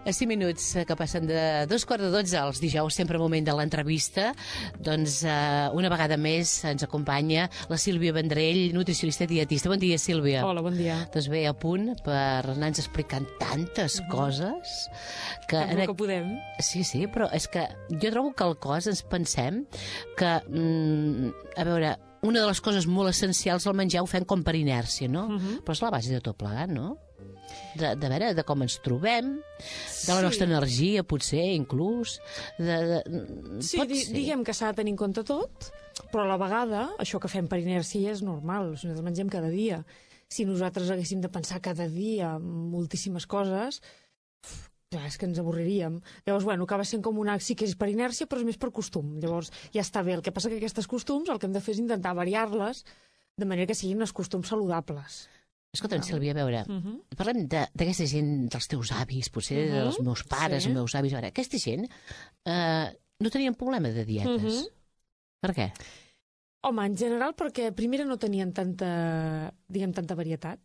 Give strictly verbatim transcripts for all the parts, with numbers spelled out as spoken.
A cinc minuts que passen de dos quarts de dotze els dijous, sempre moment de l'entrevista, doncs eh, una vegada més ens acompanya la Sílvia Vendrell, nutricionista i dietista. Bon dia, Sílvia. Hola, bon dia. Doncs bé, a punt per anar-nos explicant tantes uh-huh. coses que... En el que podem. Sí, sí, però és que jo trobo que al cos ens pensem que, mm, a veure, una de les coses molt essencials al menjar ho fem com per inèrcia, no? Uh-huh. Però és la base de tot plegat, no? De, de veure, de com ens trobem, de la nostra sí. energia, potser, inclús... De, de, sí, di diguem que s'ha de tenir en compte tot, però a la vegada, això que fem per inèrcia és normal, nosaltres mengem cada dia. Si nosaltres haguéssim de pensar cada dia moltíssimes coses, clar, és que ens avorriríem. Llavors, bueno, acaba sent com un sí que és per inèrcia, però és més per costum. Llavors, ja està bé. El que passa que aquestes costums, el que hem de fer és intentar variar-les de manera que siguin els costums saludables. Escolta'm, Sílvia, a veure, uh -huh. parlem d'aquesta gent, dels teus avis, potser uh -huh. dels meus pares, sí. els meus avis. A veure, aquesta gent eh, no tenien problema de dietes. Uh -huh. Per què? Home, en general perquè, primera, no tenien tanta, diguem, tanta varietat.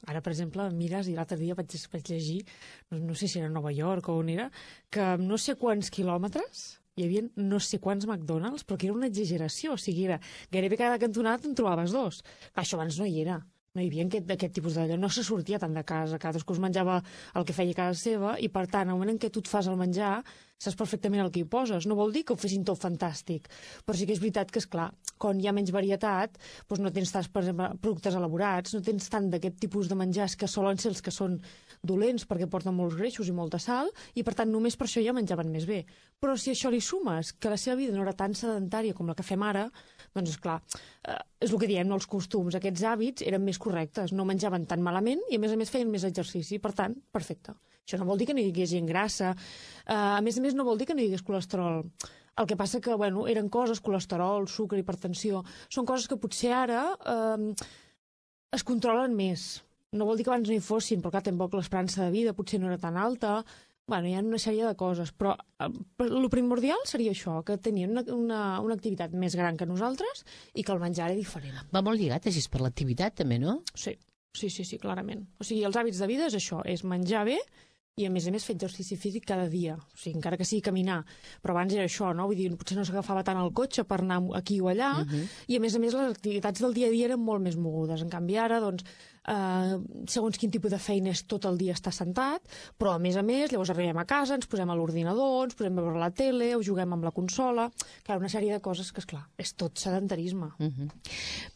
Ara, per exemple, mires, i l'altre dia vaig, vaig llegir, no, no sé si era a Nova York o on era, que amb no sé quants quilòmetres hi havia no sé quants McDonald's, però que era una exageració. O sigui, era gairebé cada cantonada en trobaves dos. Clar, això abans no hi era. No hi havia aquest, aquest tipus d'allò, no se sortia tant de casa, cadascú es menjava el que feia a casa seva i, per tant, al moment en què tu et fas el menjar, saps perfectament el que hi poses. No vol dir que ho fessin tot fantàstic, però sí que és veritat que, és clar, quan hi ha menys varietat, doncs no tens tants, per exemple, productes elaborats, no tens tant d'aquest tipus de menjars que solen ser els que són dolents perquè porten molts greixos i molta sal, i, per tant, només per això ja menjaven més bé. Però si això li sumes que la seva vida no era tan sedentària com la que fem ara, doncs, esclar, eh, és el que diem, no? Els costums, aquests hàbits eren més correctes, no menjaven tan malament i, a més a més, feien més exercici. Per tant, perfecte. Això no vol dir que no hi hagués gent grassa, eh, a més a més, no vol dir que no hi hagués colesterol. El que passa que, bueno, eren coses, colesterol, sucre, hipertensió, són coses que potser ara eh, es controlen més. No vol dir que abans no hi fossin, però clar, tampoc l'esperança de vida potser no era tan alta. Bueno, hi ha una sèrie de coses, però eh, el primordial seria això, que tenien una, una, una activitat més gran que nosaltres i que el menjar era diferent. Va molt lligat, així, per l'activitat, també, no? Sí, sí, sí, sí, clarament. O sigui, els hàbits de vida és això, és menjar bé i, a més a més, fer exercici físic cada dia. O sigui, encara que sigui caminar. Però abans era això, no? Vull dir, potser no s'agafava tant el cotxe per anar aquí o allà, uh -huh. i, a més a més, les activitats del dia a dia eren molt més mogudes. En canvi, ara, doncs, Uh, segons quin tipus de feina és tot el dia estar sentat, però a més a més llavors arribem a casa, ens posem a l'ordinador, ens posem a veure la tele o juguem amb la consola, clar, una sèrie de coses que, esclar, és tot sedentarisme. Uh -huh.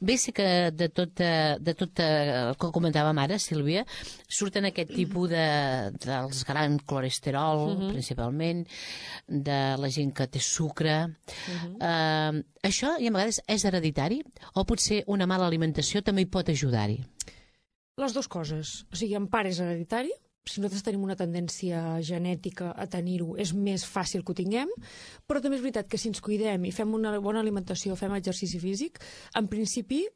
Bé, sí que de tot, de tot el que comentàvem ara, Sílvia, surten aquest tipus de, dels grans colesterol, uh -huh. principalment, de la gent que té sucre. Uh -huh. uh, això, i a vegades, és hereditari? O potser una mala alimentació també hi pot ajudar-hi? Les dues coses. O sigui, en part és hereditari. Si nosaltres tenim una tendència genètica a tenir-ho, és més fàcil que ho tinguem, però també és veritat que si ens cuidem i fem una bona alimentació, fem exercici físic, en principi,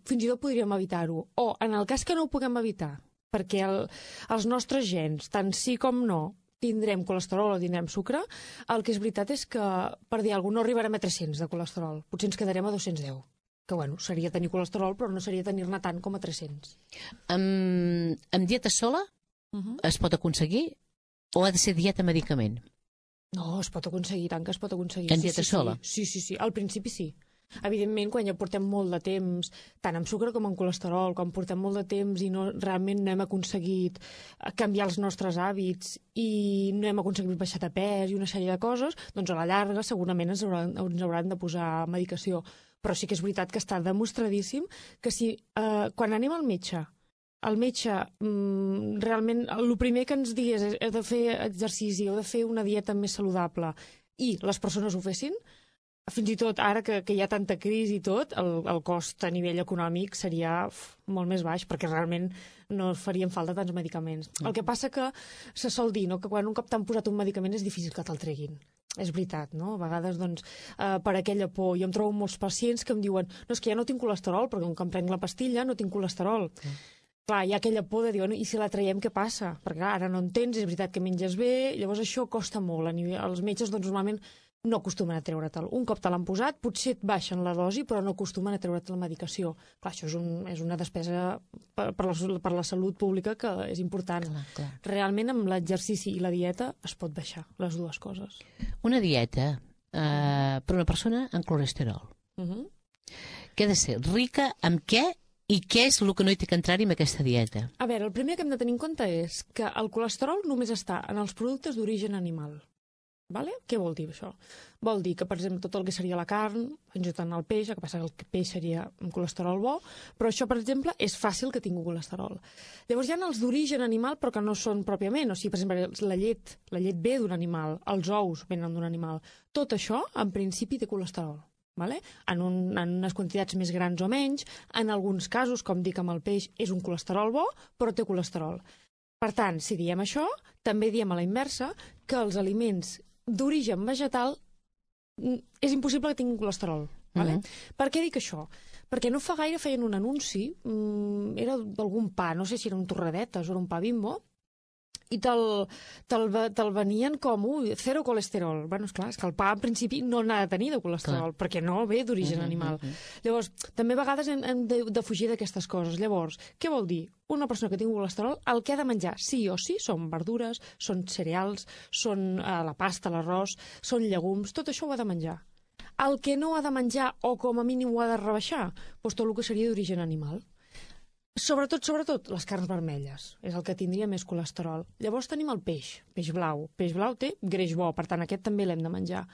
fins i tot podríem evitar-ho. O, en el cas que no ho puguem evitar, perquè el, els nostres gens, tant sí com no, tindrem colesterol o tindrem sucre, el que és veritat és que, per dir alguna cosa, no arribarem a tres-cents de colesterol. Potser ens quedarem a dos-cents deu. Que, bueno, seria tenir colesterol, però no seria tenir-ne tant com a tres-cents. Amb, amb dieta sola uh -huh. es pot aconseguir o ha de ser dieta medicament? No, es pot aconseguir, tant que es pot aconseguir. En sí, dieta sí, sola? Sí, sí, sí, al principi sí. Evidentment, quan ja portem molt de temps, tant amb sucre com amb colesterol, quan portem molt de temps i no, realment no hem aconseguit canviar els nostres hàbits i no hem aconseguit baixar de pes i una sèrie de coses, doncs a la llarga segurament ens hauran, ens hauran de posar medicació. Però sí que és veritat que està demostradíssim que si eh, quan anem al metge, el metge mm, realment el primer que ens digués és heu de fer exercici, heu de fer una dieta més saludable i les persones ho fessin, fins i tot ara que, que hi ha tanta crisi i tot, el, el cost a nivell econòmic seria uf, molt més baix, perquè realment no farien falta tants medicaments. Mm. El que passa que se sol dir, no?, que quan un cop t'han posat un medicament és difícil que te'l treguin. És veritat, no? A vegades, doncs, eh, per aquella por. Jo em trobo molts pacients que em diuen no, és que ja no tinc colesterol, perquè com em prenc la pastilla no tinc colesterol. Mm. Clar, hi ha aquella por de dir, bueno, i si la traiem, què passa? Perquè clar, ara no en tens, és veritat que menges bé, llavors això costa molt. A nivell, els metges, doncs, normalment no acostumen a treure-te'l. Un cop te l'han posat, potser et baixen la dosi, però no acostumen a treure't la medicació. Clar, això és, un, és una despesa per, per, la, per la salut pública que és important. Clar, clar. Realment, amb l'exercici i la dieta es pot baixar, les dues coses. Una dieta eh, per una persona amb colesterol. Uh -huh. Que ha de ser rica amb què i què és el que no hi té que entrar-hi amb aquesta dieta? A veure, el primer que hem de tenir en compte és que el colesterol només està en els productes d'origen animal. Vale? Què vol dir això? Vol dir que, per exemple, tot el que seria la carn, fins i tot en el peix, el que passa que el peix seria un colesterol bo, però això, per exemple, és fàcil que tingui colesterol. Llavors hi ha els d'origen animal, però que no són pròpiament. O sigui, per exemple, la llet, la llet ve d'un animal, els ous venen d'un animal. Tot això, en principi, té colesterol. Vale? En, un, en unes quantitats més grans o menys. En alguns casos, com dic amb el peix, és un colesterol bo, però té colesterol. Per tant, si diem això, també diem a la inversa que els aliments d'origen vegetal és impossible que tinguin colesterol. Vale? Uh -huh. Per què dic això? Perquè no fa gaire feien un anunci, mmm, era d'algun pa, no sé si era un torradetes o era un pa Bimbo, i te'l te te venien com, ui, zero colesterol. Bueno, esclar, és que el pa en principi no n'ha de tenir de colesterol, clar, perquè no ve d'origen uh -huh, animal. Uh -huh. Llavors, també a vegades hem, hem de, de fugir d'aquestes coses. Llavors, què vol dir? Una persona que tingui colesterol, el que ha de menjar sí o sí són verdures, són cereals, són eh, la pasta, l'arròs, són llegums, tot això ho ha de menjar. El que no ha de menjar, o com a mínim ho ha de rebaixar, doncs tot el que seria d'origen animal. Sobretot, sobretot, les carns vermelles. És el que tindria més colesterol. Llavors tenim el peix, peix blau. Peix blau té greix bo, per tant, aquest també l'hem de menjar.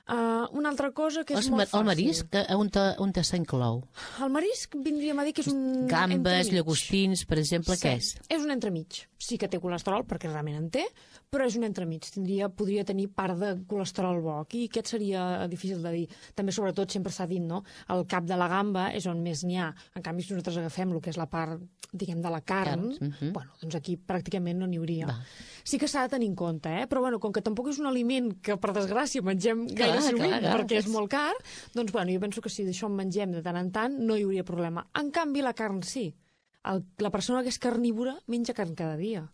Uh, una altra cosa que és el, molt fàcil. El marisc, on, te, on te s'inclou? El marisc vindríem a dir que és un Gambes, entremig. llagostins, per exemple, sí, què és? És un entremig. Sí que té colesterol, perquè realment en té, però és un entremig. Tindria, podria tenir part de colesterol bo. Aquí aquest seria difícil de dir. També, sobretot, sempre s'ha dit, no? El cap de la gamba és on més n'hi ha. En canvi, si nosaltres agafem el que és la part, diguem, de la carn, Carn. Uh-huh. bueno, doncs aquí pràcticament no n'hi hauria. Va. Sí que s'ha de tenir en compte, eh? Però bueno, com que tampoc és un aliment que, per desgràcia, mengem gaire sovint, perquè és molt car, doncs bueno, jo penso que si d'això en mengem de tant en tant, no hi hauria problema. En canvi, la carn sí. El, la persona que és carnívora menja carn cada dia.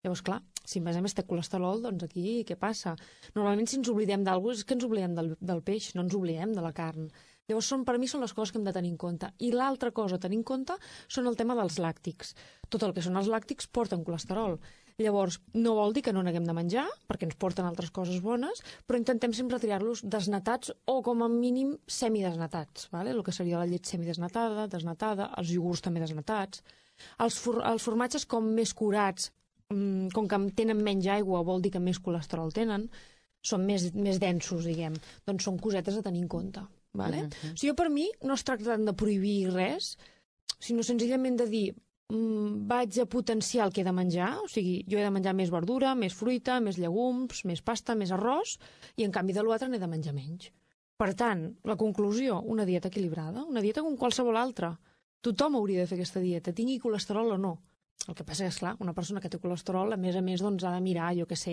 Llavors, clar, si a més a més té colesterol, doncs aquí què passa? Normalment, si ens oblidem d'alguna cosa, és que ens oblidem del, del peix, no ens oblidem de la carn. Llavors, són, per mi, són les coses que hem de tenir en compte. I l'altra cosa a tenir en compte són el tema dels làctics. Tot el que són els làctics porten colesterol. Llavors, no vol dir que no n'haguem de menjar, perquè ens porten altres coses bones, però intentem sempre triar-los desnatats o, com a mínim, semidesnatats. ¿vale? El que seria la llet semidesnatada, desnatada, els iogurts també desnatats. Els, for els formatges com més curats, mmm, com que tenen menys aigua, vol dir que més colesterol tenen, són més, més densos, diguem. Doncs són cosetes a tenir en compte. Vale? Uh-huh. O sigui, per mi no es tracta de prohibir res, sinó senzillament de dir mm, vaig a potenciar el que he de menjar, o sigui, jo he de menjar més verdura, més fruita, més llegums, més pasta, més arròs, i en canvi de l'altre n'he de menjar menys. Per tant, la conclusió, una dieta equilibrada, una dieta com qualsevol altra. Tothom hauria de fer aquesta dieta, tingui colesterol o no. El que passa és, clar, una persona que té colesterol, a més a més, doncs, ha de mirar, jo què sé,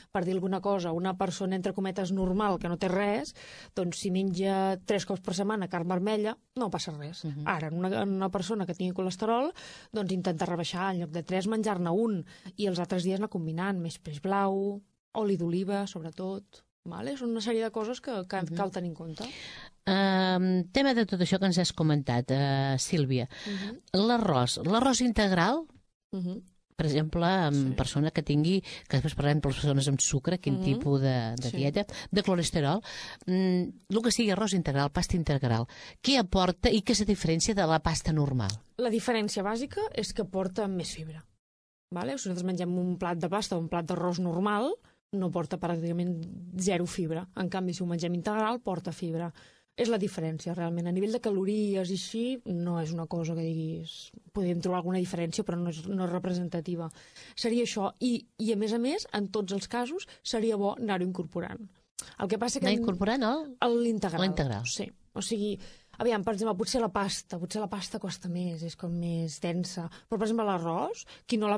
per dir alguna cosa, una persona, entre cometes, normal, que no té res, doncs, si menja tres cops per setmana carn vermella, no passa res. Uh-huh. Ara, en una, en una persona que tingui colesterol, doncs, intenta rebaixar, en lloc de tres, menjar-ne un, i els altres dies anar combinant, més peix blau, oli d'oliva, sobretot. Vale? Són una sèrie de coses que, que uh-huh. cal tenir en compte. Uh, tema de tot això que ens has comentat, uh, Sílvia. Uh-huh. L'arròs, l'arròs integral... Uh-huh. Per exemple, amb sí. persona que tingui, que després parlem per les persones amb sucre, quin uh-huh. tipus de, de sí. dieta, de colesterol, mm, el que sigui arròs integral, pasta integral, què aporta i què és la diferència de la pasta normal? La diferència bàsica és que porta més fibra. Vale? Si nosaltres mengem un plat de pasta o un plat d'arròs normal, no porta pràcticament zero fibra. En canvi, si ho mengem integral, porta fibra. És la diferència, realment. A nivell de calories i així, no és una cosa que diguis... Podríem trobar alguna diferència, però no és, no és representativa. Seria això. I, I, a més a més, en tots els casos, seria bo anar-ho incorporant. El que passa que... Anar incorporant el... L'integral. L'integral. Sí. O sigui, aviam, per exemple, potser la pasta, potser la pasta costa més, és com més densa. Però, per exemple, l'arròs, qui, no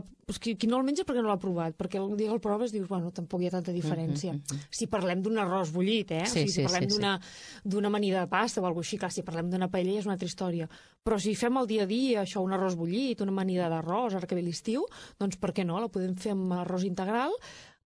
qui, qui no el menja perquè no l'ha provat, perquè el dia que el proves dius, bueno, tampoc hi ha tanta diferència. Mm-hmm. Si parlem d'un arròs bullit, eh? Sí, o sigui, si sí, parlem sí, d'una sí. d'una amanida de pasta o alguna cosa així, clar, si parlem d'una paella és una altra història. Però si fem el dia a dia, això, un arròs bullit, una amanida d'arròs, ara que ve l'estiu, doncs per què no? La podem fer amb arròs integral,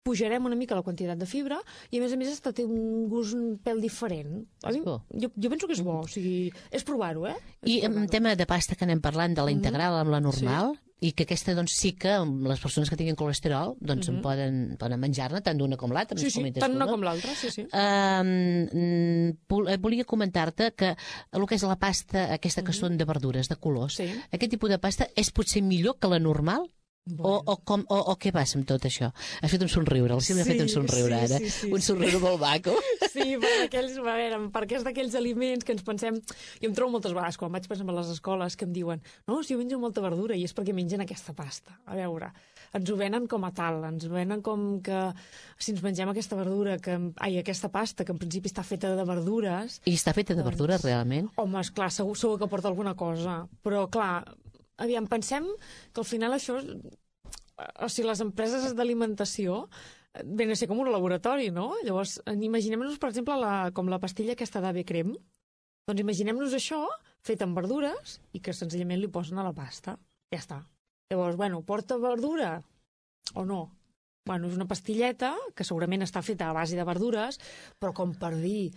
pujarem una mica la quantitat de fibra i, a més a més, està té un gust un pèl diferent. A mi, jo, jo penso que és bo, o sigui, és provar-ho, eh? És I en tema de pasta que anem parlant, de la integral amb la normal, sí. I que aquesta doncs, sí que les persones que tinguin colesterol doncs, mm -hmm. poden, poden menjar-ne tant d'una com l'altra. Sí, sí, tant una com l'altra, sí, sí. Uh, volia comentar-te que el que és la pasta, aquesta que mm -hmm. són de verdures, de colors, sí. Aquest tipus de pasta és potser millor que la normal? Bueno. O, o, com, o, o què passa amb tot això? Has fet un somriure, la Sílvia sí, ha fet un somriure ara, sí, sí, sí, un somriure sí. molt maco. Sí, per aquells, a veure, perquè és d'aquells aliments que ens pensem... Jo em trobo moltes vegades, quan vaig passar a les escoles, que em diuen no, si jo menjo molta verdura, i és perquè mengen aquesta pasta. A veure, ens ho venen com a tal, ens ho venen com que si ens mengem aquesta verdura, que, ai, aquesta pasta, que en principi està feta de verdures... I està feta de doncs, verdures, realment? Home, esclar, segur, segur que porta alguna cosa, però clar... Aviam, pensem que al final això, o sigui, les empreses d'alimentació ven a ser com un laboratori, no? Llavors, imaginem-nos, per exemple, la, com la pastilla aquesta d'A V Crem. Doncs imaginem-nos això fet amb verdures i que senzillament li posen a la pasta. Ja està. Llavors, bueno, porta verdura o no? Bueno, és una pastilleta que segurament està feta a base de verdures, però com per dir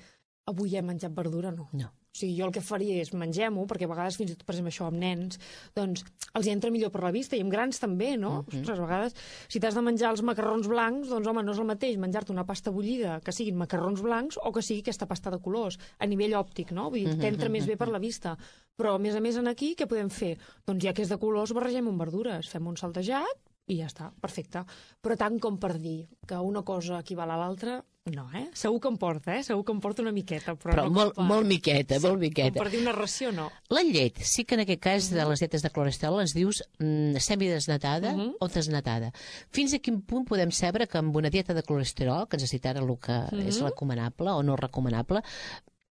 avui he menjat verdura, no. No. O sigui, jo el que faria és mengem-ho, perquè a vegades fins i tot, per exemple, això amb nens, doncs els hi entra millor per la vista, i amb grans també, no? Mm -hmm. Ostres, a vegades, si t'has de menjar els macarrons blancs, doncs, home, no és el mateix menjar-te una pasta bullida que siguin macarrons blancs o que sigui aquesta pasta de colors, a nivell òptic, no? Vull dir, mm -hmm. t'entra més bé per la vista. Però, a més a més, en aquí, què podem fer? Doncs ja que és de colors, barregem amb verdures, fem un saltejat i ja està, perfecte. Però tant com per dir que una cosa equival a l'altra... No, eh? Segur que em porta, eh? Segur que em porta una miqueta, però, però no molt, per... molt miqueta, sí, molt miqueta. Com per dir una ració, no. La llet, sí que en aquest cas de les dietes de colesterol ens dius mm, semidesnatada uh -huh. o desnatada. Fins a quin punt podem saber que amb una dieta de colesterol, que ens cita ara el que uh -huh. és recomanable o no recomanable,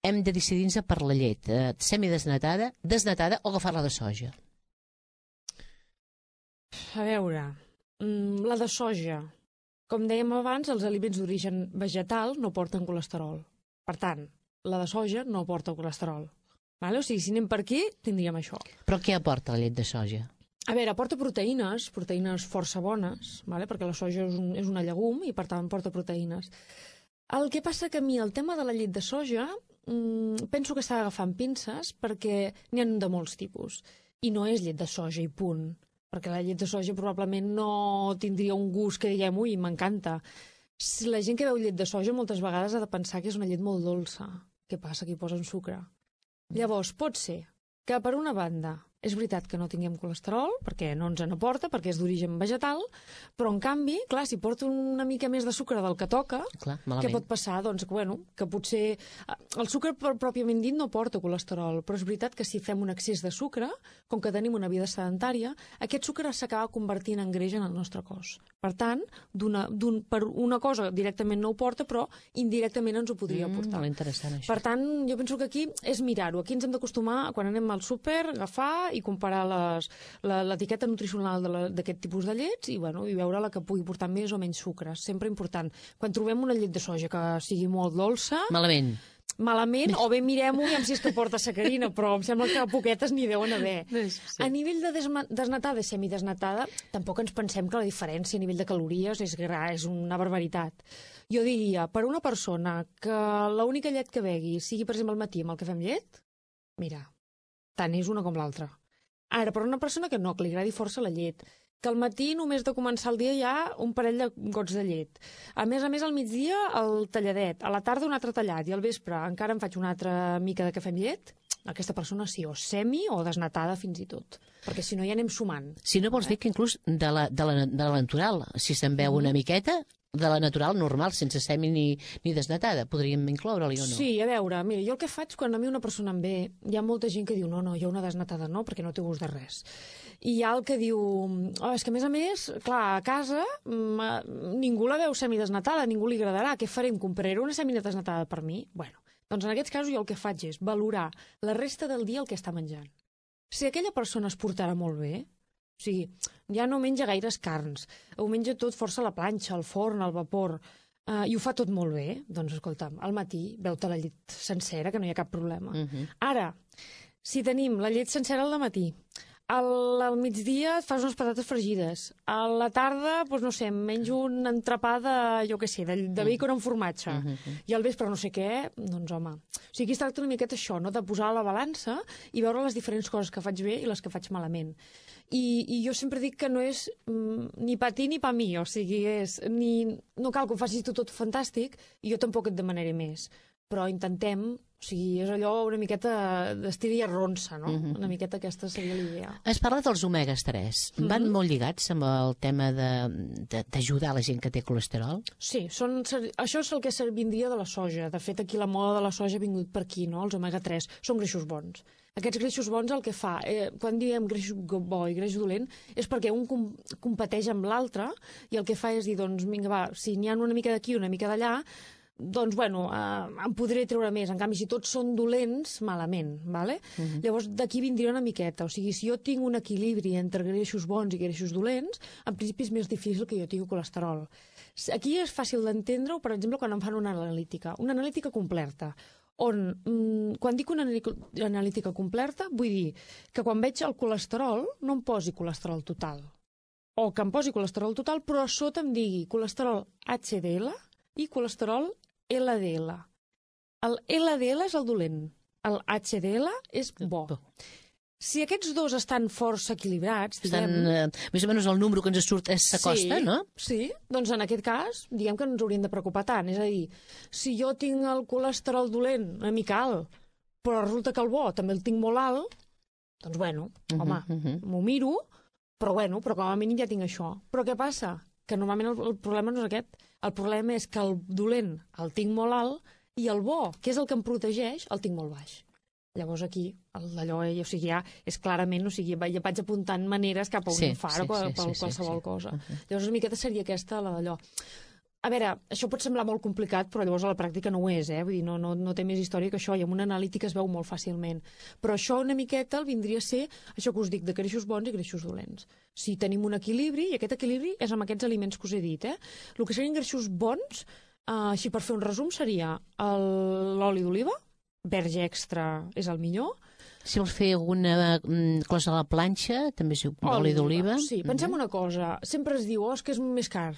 hem de decidir-nos per la llet eh, semidesnatada, desnatada o agafar-la de soja? A veure, mm, la de soja... Com dèiem abans, els aliments d'origen vegetal no porten colesterol. Per tant, la de soja no porta colesterol. Vale? O sigui, si anem per aquí, tindríem això. Però què aporta la llet de soja? A veure, aporta proteïnes, proteïnes força bones, vale? Perquè la soja és, un, és una llegum i, per tant, porta proteïnes. El que passa que a mi el tema de la llet de soja mmm, penso que s'ha d'agafar amb pinces perquè n'hi ha de molts tipus. I no és llet de soja i punt. Perquè la llet de soja probablement no tindria un gust que diguem, ui, m'encanta. La gent que veu llet de soja moltes vegades ha de pensar que és una llet molt dolça. Què passa? Que hi posen sucre. Llavors, pot ser que, per una banda, és veritat que no tinguem colesterol, perquè no ens en aporta, perquè és d'origen vegetal, però, en canvi, clar, si porta una mica més de sucre del que toca, clar, què pot passar? Doncs, bueno, que potser... El sucre, pròpiament dit, no porta colesterol, però és veritat que si fem un excés de sucre, com que tenim una vida sedentària, aquest sucre s'acaba convertint en greix en el nostre cos. Per tant, una, per una cosa directament no ho porta, però indirectament ens ho podria mm, portar. Molt interessant, això. Per tant, jo penso que aquí és mirar-ho. Aquí ens hem d'acostumar, quan anem al súper, agafar i comparar l'etiqueta nutricional d'aquest tipus de llets i, bueno, i veure la que pugui portar més o menys sucre. Sempre important. Quan trobem una llet de soja que sigui molt dolça... Malament. Malament, o bé mirem-ho i em si és que porta sacarina, però em sembla que poquetes n'hi deuen haver. Sí. A nivell de desnatada i semidesnatada, tampoc ens pensem que la diferència a nivell de calories és, gra, és una barbaritat. Jo diria, per una persona que l'única llet que begui sigui, per exemple, al matí amb el que fem llet, mira, tant és una com l'altra. Ara, per una persona que no, que li agradi força la llet, que al matí només de començar el dia hi ha un parell de gots de llet. A més a més, al migdia el talladet, a la tarda un altre tallat i al vespre encara em faig una altra mica de cafè amb llet, aquesta persona sí, o semi o desnatada fins i tot, perquè si no ja anem sumant. Si no vols eh? dir que inclús de la, de la, de la natural, si se'n veu mm. una miqueta, de la natural normal, sense semi ni, ni desnatada, podríem incloure-li o no? Sí, a veure, mira, jo el que faig quan a mi una persona em ve, hi ha molta gent que diu no, no, jo una desnatada no, perquè no té gust de res. I hi ha el que diu, oh, és que a més a més, clar, a casa ningú la veu semidesnatada, ningú li agradarà, què farem? Compraré una semidesnatada per mi? Bueno, doncs en aquests casos jo el que faig és valorar la resta del dia el que està menjant. Si aquella persona es portarà molt bé, o sigui, ja no menja gaires carns, ho menja tot força a la planxa, al forn, al vapor, uh, i ho fa tot molt bé, doncs escolta'm, al matí veu-te la llet sencera, que no hi ha cap problema. Uh-huh. Ara, si tenim la llet sencera al matí, Al, al migdia et fas unes patates fregides. A la tarda, doncs no sé, menjo un entrepà de, jo què sé, de, de bacon amb formatge. Mm -hmm. I al vespre no sé què, doncs home... O sigui, aquí es tracta una miqueta això, no?, de posar a la balança i veure les diferents coses que faig bé i les que faig malament. I, i jo sempre dic que no és mm, ni pa ti ni pa mi, o sigui, és, ni, no cal que ho facis tu tot fantàstic i jo tampoc et demanaré més. Però intentem, o sigui, és allò una miqueta d'estir i arronsa, no? Mm-hmm. Una miqueta aquesta seria l'idea. Es parla dels omegas tres. Mm-hmm. Van molt lligats amb el tema d'ajudar la gent que té colesterol? Sí, són, això és el que vindria de la soja. De fet, aquí la moda de la soja ha vingut per aquí, no? Els omega tres són greixos bons. Aquests greixos bons el que fa, eh, quan diem greix bo i greix dolent, és perquè un com, competeix amb l'altre i el que fa és dir, doncs, vinga, va, si n'hi ha una mica d'aquí, una mica d'allà, doncs, bueno, eh, em podré treure més. En canvi, si tots són dolents, malament, ¿vale? Uh-huh. Llavors, d'aquí vindria una miqueta. O sigui, si jo tinc un equilibri entre greixos bons i greixos dolents, en principi és més difícil que jo tingui colesterol. Aquí és fàcil d'entendre-ho, per exemple, quan em fan una analítica. Una analítica completa, on, mm, quan dic una analítica completa, vull dir que quan veig el colesterol no em posi colesterol total. O que em posi colesterol total, però a sota em digui colesterol H D L i colesterol L D L. El L D L és el dolent, el H D L és bo. Si aquests dos estan força equilibrats, diguem... Estan, eh, més o menys el número que ens surt s'acosta, sí, no? Sí, doncs en aquest cas, diguem que no ens hauríem de preocupar tant. És a dir, si jo tinc el colesterol dolent una mica alt, però resulta que el bo també el tinc molt alt, doncs bueno, uh -huh, home, uh -huh. m'ho miro, però bueno, però com a mínim ja tinc això. Però què passa? Que normalment el, el problema no és aquest. El problema és que el dolent el tinc molt alt i el bo, que és el que em protegeix, el tinc molt baix. Llavors aquí, allò, o sigui, ja és clarament, o sigui, ja vaig apuntant maneres cap a un sí, infart o sí, sí, qualsevol sí, sí, sí. cosa. Uh -huh. Llavors una miqueta seria aquesta, la d'allò. A veure, això pot semblar molt complicat, però llavors a la pràctica no ho és, eh? Vull dir, no, no, no té més història que això, i amb una analítica es veu molt fàcilment. Però això una miqueta el vindria a ser, això que us dic, de greixos bons i greixos dolents. Si tenim un equilibri, i aquest equilibri és amb aquests aliments que us he dit, eh? El que serien greixos bons, eh, així per fer un resum, seria l'oli d'oliva, verge extra és el millor. Si vols fer alguna cosa a la planxa, també és oli d'oliva. Sí, pensem uh -huh. una cosa, sempre es diu, oh, és que és més car.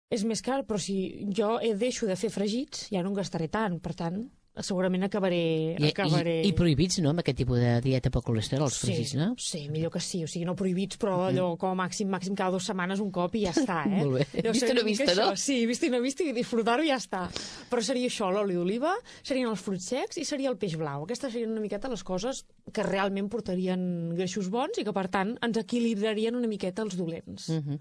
És més car, però si jo deixo de fer fregits, ja no en gastaré tant, per tant, segurament acabaré... I, acabaré... i, i prohibits, no?, amb aquest tipus de dieta per colesterol, els sí, fregits, no? Sí, millor que sí, o sigui, no prohibits, però allò com a màxim, màxim cada dues setmanes un cop i ja està, eh? Molt bé, jo vist i no vist, no? Això, sí, vist i no vist i disfrutar-ho i ja està. Però seria això, l'oli d'oliva, serien els fruits secs i seria el peix blau. Aquestes serien una miqueta les coses que realment portarien greixos bons i que, per tant, ens equilibrarien una miqueta els dolents. Uh -huh.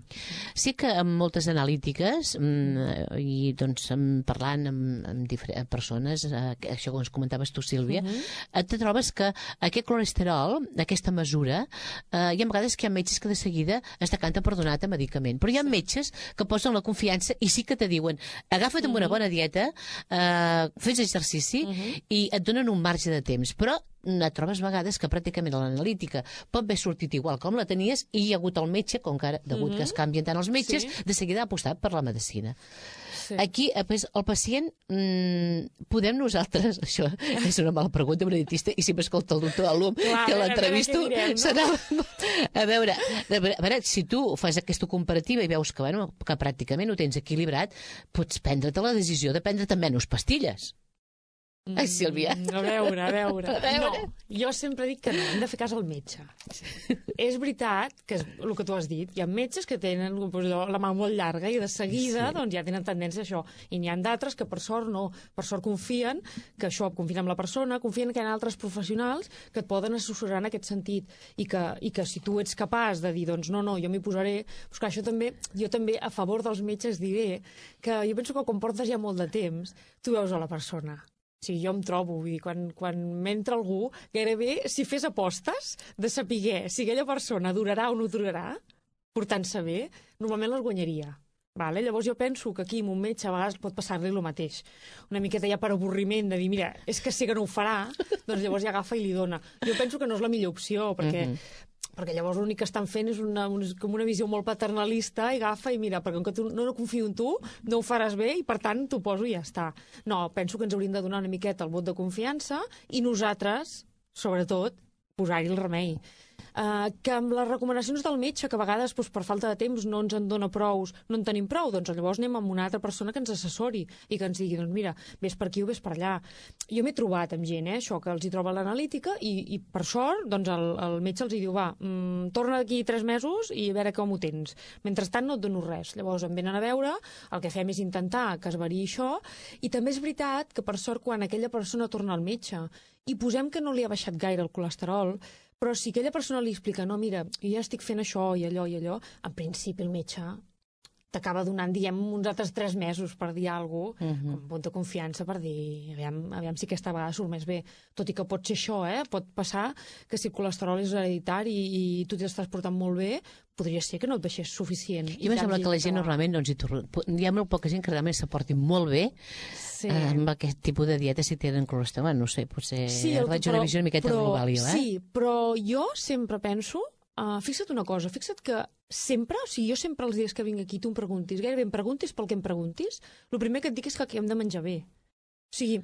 Sí que amb moltes analítiques mm, i doncs parlant amb, amb diferents persones, eh, això que ens comentaves tu, Sílvia, uh -huh. te trobes que aquest colesterol, aquesta mesura, eh, hi ha vegades que hi ha metges que de seguida es decanten per donar-te medicament, però hi ha sí. metges que posen la confiança i sí que te diuen agafa't amb uh -huh. una bona dieta, eh, fes exercici uh -huh. i et donen un marge de temps, però et trobes vegades que pràcticament l'analítica pot haver sortit igual com la tenies i hi ha hagut el metge, com que ara, degut uh -huh. que es canvien tant els metges, sí. de seguida ha apostat per la medicina. Sí. Aquí, pues, el pacient, mmm, podem nosaltres, això és una mala pregunta, una dietista, i si m'escolta el doctor Alum, Clar, que l'entrevisto, no? serà... A veure, a veure, a veure, si tu fas aquesta comparativa i veus que, bueno, que pràcticament ho tens equilibrat, pots prendre't la decisió de prendre't menys pastilles. Mm, Ai, Sílvia. A veure, a veure. a veure. No, jo sempre dic que no, hem de fer cas al metge. És veritat que és el que tu has dit. Hi ha metges que tenen doncs, la mà molt llarga i de seguida sí. doncs, ja tenen tendència a això. I n'hi ha d'altres que per sort no, per sort confien que això, confien en la persona, confien que hi ha altres professionals que et poden assessorar en aquest sentit i que, i que si tu ets capaç de dir, doncs no, no, jo m'hi posaré... Doncs clar, això també, jo també a favor dels metges diré que jo penso que quan portes ja molt de temps, tu veus a la persona. O sigui, jo em trobo, vull dir, quan, quan m'entra algú, gairebé si fes apostes de saber si aquella persona durarà o no durarà, portant-se bé, normalment les guanyaria. Vale? Llavors jo penso que aquí amb un metge a vegades pot passar-li el mateix. Una miqueta ja per avorriment de dir, mira, és que sé que no ho farà, doncs llavors ja agafa i li dona. Jo penso que no és la millor opció, perquè... Mm-hmm. perquè llavors l'únic que estan fent és una, una, com una visió molt paternalista i agafa i mira, perquè com que tu, no, no confio en tu, no ho faràs bé i per tant t'ho poso i ja està. No, penso que ens hauríem de donar una miqueta el vot de confiança i nosaltres, sobretot, posar-hi el remei. Uh, que amb les recomanacions del metge, que a vegades doncs, per falta de temps no ens en dona prous, no en tenim prou, doncs llavors anem amb una altra persona que ens assessori i que ens digui, doncs mira, vés per aquí o vés per allà. Jo m'he trobat amb gent, eh, això, que els hi troba l'analítica i, i per sort doncs el, el metge els hi diu, va, mm, torna d'aquí tres mesos i a veure com ho tens. Mentrestant no et dono res. Llavors em venen a veure, el que fem és intentar que es variï això, i també és veritat que per sort quan aquella persona torna al metge i posem que no li ha baixat gaire el colesterol, però si aquella persona li explica, no, mira, jo ja estic fent això i allò i allò, en principi el metge t'acaba donant, diguem, uns altres tres mesos per dir alguna cosa, uh-huh. com punt de confiança per dir, aviam, aviam si aquesta vegada surt més bé. Tot i que pot ser això, eh? Pot passar que si el colesterol és hereditari i, i tu t'estàs portant molt bé, podria ser que no et baixés suficient. I em sembla que la gent normalment, doncs, hi torna... hi ha molt poca gent que realment se porti molt bé sí. eh, amb aquest tipus de dieta si tenen colesterol. No sé, potser sí, el, faig una visió una miqueta però, global, jo, eh? Sí, però jo sempre penso, uh, fixa't una cosa, fixa't que sempre, o sigui, jo sempre els dies que vinc aquí tu em preguntis, gairebé em preguntis pel que em preguntis, el primer que et dic és que hem de menjar bé. O sigui,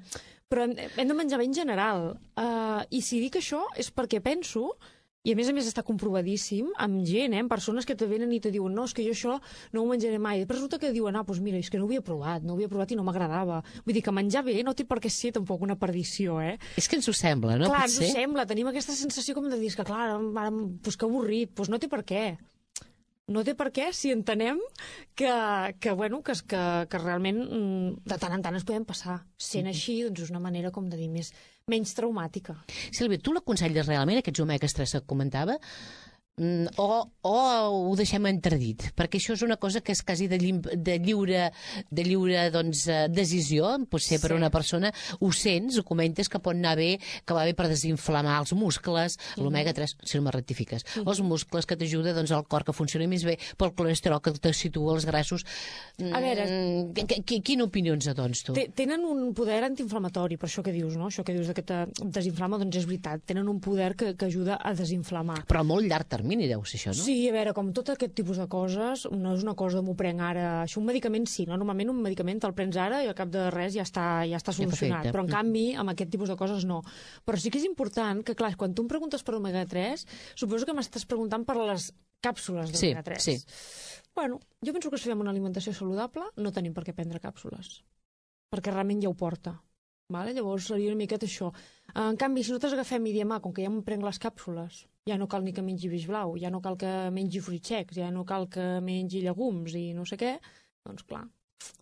però hem, hem de menjar bé en general. Uh, I si dic això és perquè penso... I a més a més està comprovadíssim amb gent, eh, amb persones que te venen i te diuen no, és que jo això no ho menjaré mai. Però resulta que diuen, ah, doncs mira, és que no ho havia provat, no ho havia provat i no m'agradava. Vull dir que menjar bé no té per què ser tampoc una perdició, eh? És que ens ho sembla, no? Clar, Potser? ens ho sembla, tenim aquesta sensació com de dir que clar, ara, doncs que avorrit, doncs no té per què. No té per què si entenem que, que, bueno, que, que, que realment de tant en tant ens podem passar. Sent així, doncs és una manera com de dir més, menys traumàtica. Sílvia, tu l'aconselles realment, aquests omegues tres que comentava, o, o ho deixem entredit? Perquè això és una cosa que és quasi de, llim, de lliure, de lliure doncs, decisió, potser per sí. una persona, ho sents, ho comentes, que pot anar bé, que va bé per desinflamar els muscles, mm. l'omega tres, si no me rectifiques, mm. els muscles, que t'ajuda doncs, al cor que funcioni més bé, pel colesterol que te situa els grassos. A veure... Quina opinió ens adons, tu? Tenen un poder antiinflamatori, per això que dius, no? Això que dius que te desinflama, doncs és veritat. Tenen un poder que, que ajuda a desinflamar. Però a molt llarg termini deu ser això, no? Sí, a veure, com tot aquest tipus de coses, no és una cosa de m'ho prenc ara... Això un medicament sí, no? Normalment un medicament te'l prens ara i al cap de res ja està, ja està solucionat. Ja però en canvi, amb aquest tipus de coses no. Però sí que és important que, clar, quan tu em preguntes per omega tres, suposo que m'estàs preguntant per les càpsules d'omega tres. Sí, sí. Bueno, jo penso que si fem una alimentació saludable no tenim per què prendre càpsules, perquè realment ja ho porta. Vale? Llavors seria una miqueta això. En canvi, si nosaltres agafem i diem, ah, com que ja em prenc les càpsules, ja no cal ni que mengi peix blau, ja no cal que mengi fruits secs, ja no cal que mengi llegums i no sé què, doncs clar,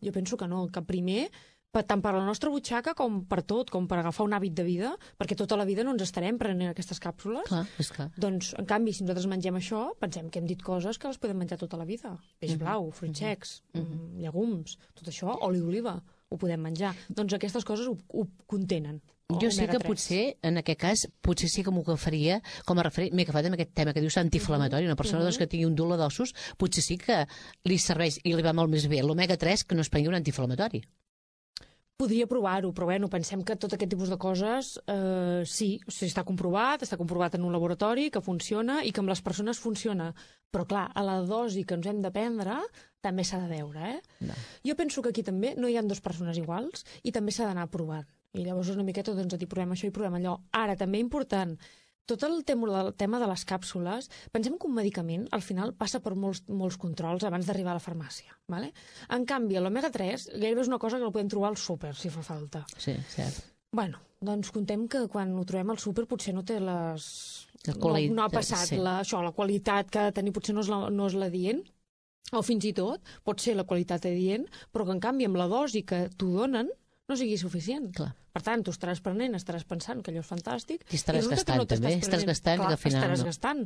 jo penso que no, que primer, tant per la nostra butxaca com per tot, com per agafar un hàbit de vida, perquè tota la vida no ens estarem prenent aquestes càpsules. Clar, és clar. Doncs, en canvi, si nosaltres mengem això, pensem que hem dit coses que les podem menjar tota la vida. Peix mm-hmm. blau, fruits secs, mm-hmm. llegums, tot això, oli d'oliva, ho podem menjar. Doncs aquestes coses ho, ho contenen. Jo sé que potser, en aquest cas, potser sí que m'ho agafaria com a referent. M'he agafat amb aquest tema que dius antiinflamatori. Una persona uh-huh. doncs, que tingui un dolor d'ossos, potser sí que li serveix i li va molt més bé l'omega tres que no es prengui un antiinflamatori. Podria provar-ho, però bueno, pensem que tot aquest tipus de coses eh, sí, o sigui, està comprovat, està comprovat en un laboratori, que funciona i que amb les persones funciona. Però clar, a la dosi que ens hem de prendre també s'ha de veure, eh? No. Jo penso que aquí també no hi ha dues persones iguals i també s'ha d'anar provant. I llavors una miqueta doncs, a dir, provem això i provem allò. Ara, també important, tot el tema, el tema de les càpsules, pensem que un medicament al final passa per molts, molts controls abans d'arribar a la farmàcia. Vale? En canvi, l'omega tres gairebé és una cosa que la podem trobar al súper, si fa falta. Sí, cert. Bueno, doncs contem que quan ho trobem al súper potser no té les... No, no ha passat sí. la, això, la qualitat que ha de tenir potser no és la, no és la dient, o fins i tot pot ser la qualitat adient, però que en canvi amb la dosi que t'ho donen no sigui suficient. Clar. Per tant, tu estaràs prenent, estaràs pensant que allò és fantàstic. I estaràs I gastant, no també. Estàs gastant clar, i al final estaràs no. gastant.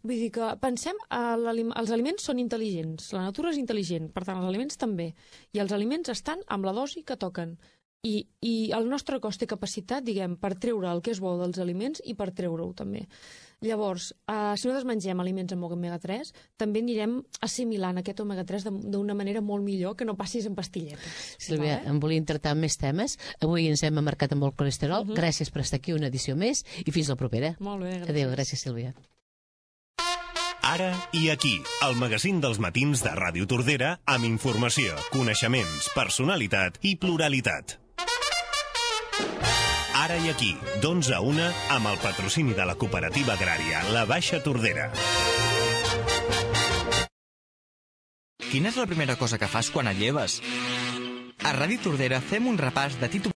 Vull dir que pensem, els aliments són intel·ligents, la natura és intel·ligent, per tant, els aliments també. I els aliments estan amb la dosi que toquen. I, i el nostre cos té capacitat, diguem, per treure el que és bo dels aliments i per treure-ho també. Llavors, eh, si nosaltres mengem aliments amb omega tres, també anirem assimilant aquest omega tres d'una manera molt millor que no passis en pastilletes. Sílvia, vale? Em volia tractar amb més temes. Avui ens hem marcat amb el colesterol. Uh-huh. Gràcies per estar aquí una edició més i fins la propera. Molt bé, gràcies. Adéu, gràcies, Sílvia. Ara i aquí, el magazín dels matins de Ràdio Tordera amb informació, coneixements, personalitat i pluralitat. Ara i aquí, d'onze a una, amb el patrocini de la cooperativa agrària La Baixa Tordera. Quina és la primera cosa que fas quan et lleves? A Ràdio Tordera fem un repàs de títol